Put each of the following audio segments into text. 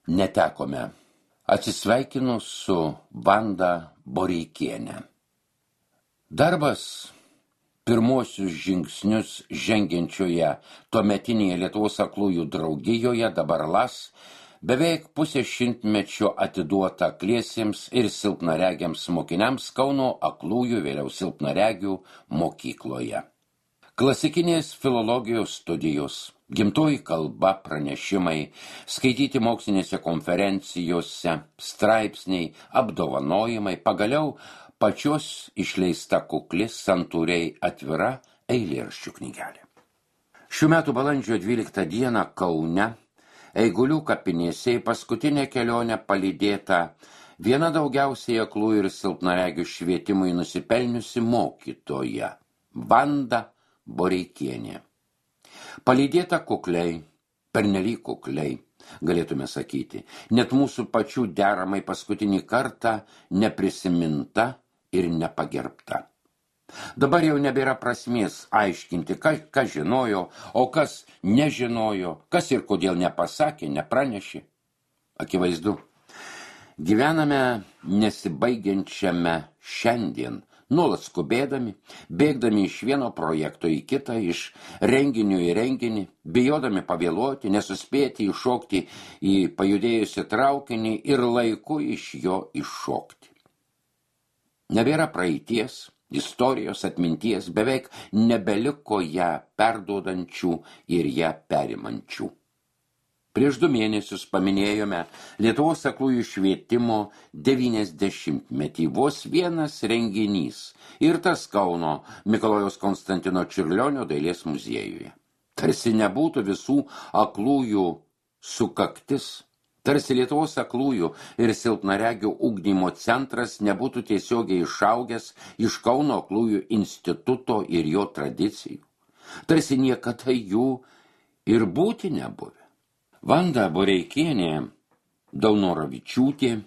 netekome. Atsisveikinu su Vanda Boreikiene. Darbas pirmosius žingsnius žengiančioje tuometinėje Lietuvos aklųjų draugijoje dabar LAS beveik pusę šimtmečio atiduota akliesiems ir silpnaregiams mokiniams Kauno aklųjų, vėliau silpnaregių mokykloje. Klasikinės filologijos studijos, gimtoji kalba pranešimai, skaityti mokslinėse konferencijose, straipsniai, apdovanojimai, pagaliau pačios išleista kukli, santūriai atvira eilėraščių knygelė. Šių metų balandžio 12 dieną Kaune, Eigulių kapinėse į paskutinę kelionę palydėta viena daugiausiai aklųjų ir silpnaregių švietimui nusipelniusi mokytoja, Vanda Boreikienė. Palydėta kukliai, pernelyg kukliai, galėtume sakyti, net mūsų pačių deramai paskutinį kartą neprisiminta ir nepagerbta. Dabar jau nebėra prasmės aiškinti, kas žinojo, o kas nežinojo, kas ir kodėl nepasakė, nepranešė. Akivaizdu, gyvename nesibaigiančiame šiandien, nuolat skubėdami, bėgdami iš vieno projekto į kitą, iš renginio į renginį, bijodami pavėluoti, nesuspėti įšokti į pajudėjusią traukinį ir laiku iš jo iššokti. Nebėra praeities, istorijos, atminties, beveik nebeliko ją perduodančių ir ją perimančių. Prieš 2 mėnesius paminėjome Lietuvos aklųjų švietimo 90-metį, vos vienas renginys ir tas Kauno Mikalojaus Konstantino Čiurlionio dailės muziejuje. Tarsi nebūtų visų aklųjų sukaktis, tarsi Lietuvos aklųjų ir silpnaregių ugdymo centras nebūtų tiesiogiai išaugęs iš Kauno aklųjų instituto ir jo tradicijų. Tarsi niekada jų ir būti nebuvę. Vanda Boreikienė Daunoravičiūtė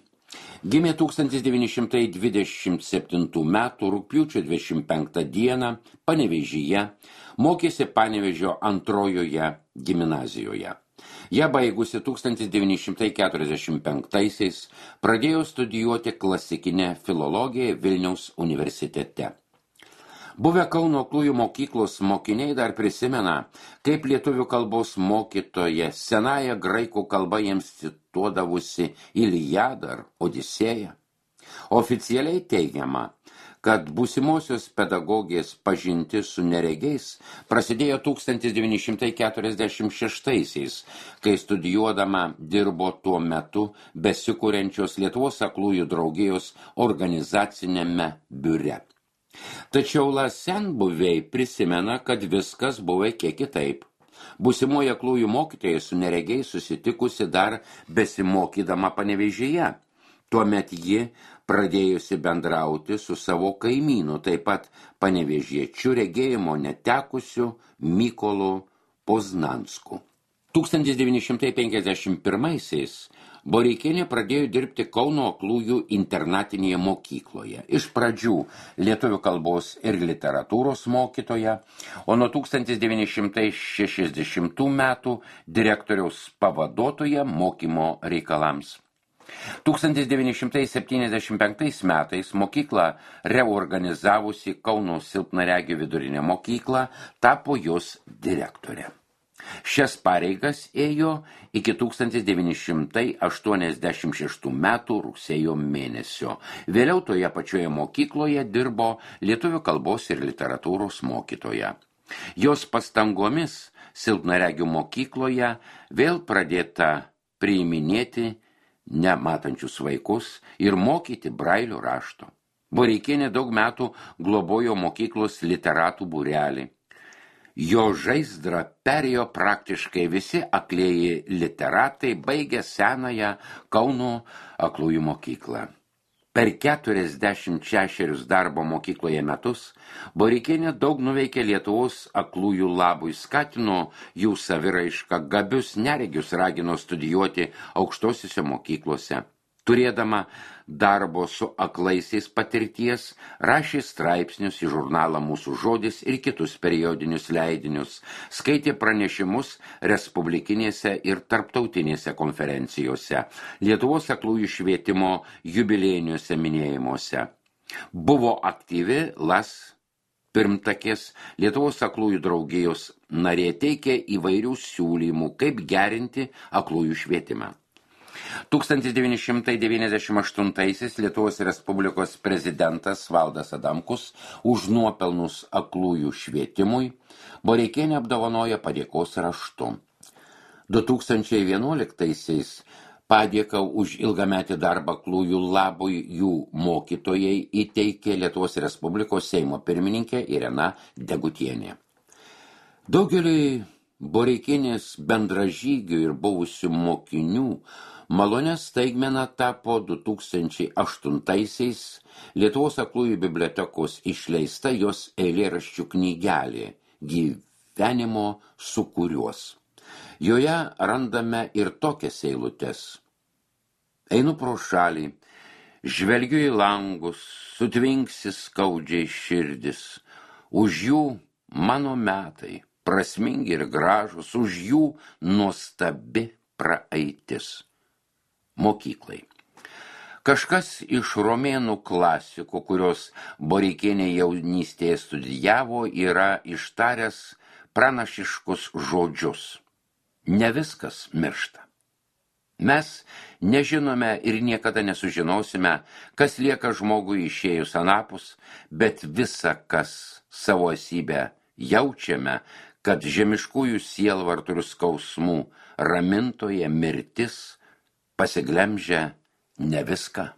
gimė 1927 metų rugpjūčio 25 dieną Panevėžyje, mokėsi Panevėžio antrojoje gimnazijoje. Ją baigusi 1945-aisiais pradėjo studijuoti klasikinę filologiją Vilniaus universitete. Buvę Kauno aklųjų mokyklos mokiniai dar prisimena, kaip lietuvių kalbos mokytoja senąją graikų kalbą jiems cituodavusi Iliadą ar Odisėją. Oficialiai teigiama, kad būsimosios pedagogės pažintis su neregiais prasidėjo 1946-aisiais, kai studijuodama dirbo tuo metu besikuriančios Lietuvos aklųjų draugijos organizacinėme biure. Tačiau senbuviai prisimena, kad viskas buvo kiek kitaip. Būsimoji aklųjų mokytoja su neregiais susitikusi dar besimokydama Panevėžyje. Tuomet ji pradėjusi bendrauti su savo kaimynu, taip pat panevėžiečiu regėjimo netekusiu Mykolu Poznansku. 1951-aisiais Boreikienė pradėjo dirbti Kauno aklųjų internatinėje mokykloje. Iš pradžių lietuvių kalbos ir literatūros mokytoja, o nuo 1960 metų direktoriaus pavaduotoja mokymo reikalams. 1975 metais mokyklą reorganizavusi Kauno silpnaregių vidurinė mokykla tapo jos direktorė. Šias pareigas ėjo iki 1986 metų rugsėjo mėnesio. Vėliau toje pačioje mokykloje dirbo lietuvių kalbos ir literatūros mokytoja. Jos pastangomis silpnaregių mokykloje vėl pradėta priiminėti nematančius vaikus ir mokyti brailio rašto. Boreikienė daug metų globojo mokyklos literatų būrelį. Jo žaizdrą perėjo praktiškai visi aklieji literatai baigę senąją Kauno aklųjų mokyklą. Per 46 darbo mokykloje metus Boreikienė daug nuveikė Lietuvos aklųjų labui, skatino jų saviraišką, gabius neregius ragino studijuoti aukštosiose mokyklose. Turėdama darbo su aklaisiais patirties, rašė straipsnius į žurnalą Mūsų žodis ir kitus periodinius leidinius, skaitė pranešimus respublikinėse ir tarptautinėse konferencijose, Lietuvos aklųjų švietimo jubiliejiniuose minėjimuose. Buvo aktyvi LAS pirmtakės Lietuvos aklųjų draugijos narė, teikė įvairių siūlymų, kaip gerinti aklųjų švietimą. 1998 Lietuvos Respublikos prezidentas Valdas Adamkus už nuopelnus aklųjų švietimui Boreikienę apdovanojo padėkos raštu. 2011 padėką už ilgametį darbą aklųjų labui jų mokytojai įteikė Lietuvos Respublikos Seimo pirmininkė Irena Degutienė. Daugeliui Boreikienės bendražygių ir buvusių mokinių malonė staigmena tapo 2008 Lietuvos aklųjų bibliotekos išleista jos eilėraščių knygelė Gyvenimo sūkuriuos. Joje randame ir tokias eilutes. Einu pro šalį, žvelgiu į langus, sutvinksi skaudžiai širdis, už jų mano metai, prasmingi ir gražus, už jų nuostabi praeitis. Mokyklai. Kažkas iš romėnų klasikų, kurios Boreikienė jaunystėje studijavo, yra ištaręs pranašiškus žodžius. Ne viskas miršta. Mes nežinome ir niekada nesužinosime, kas lieka žmogui išėjus anapus, bet visa, kas savo esybę jaučiame, kad žemiškųjų sielvartų ir skausmų ramintoje mirtis pasiglemžia ne viską.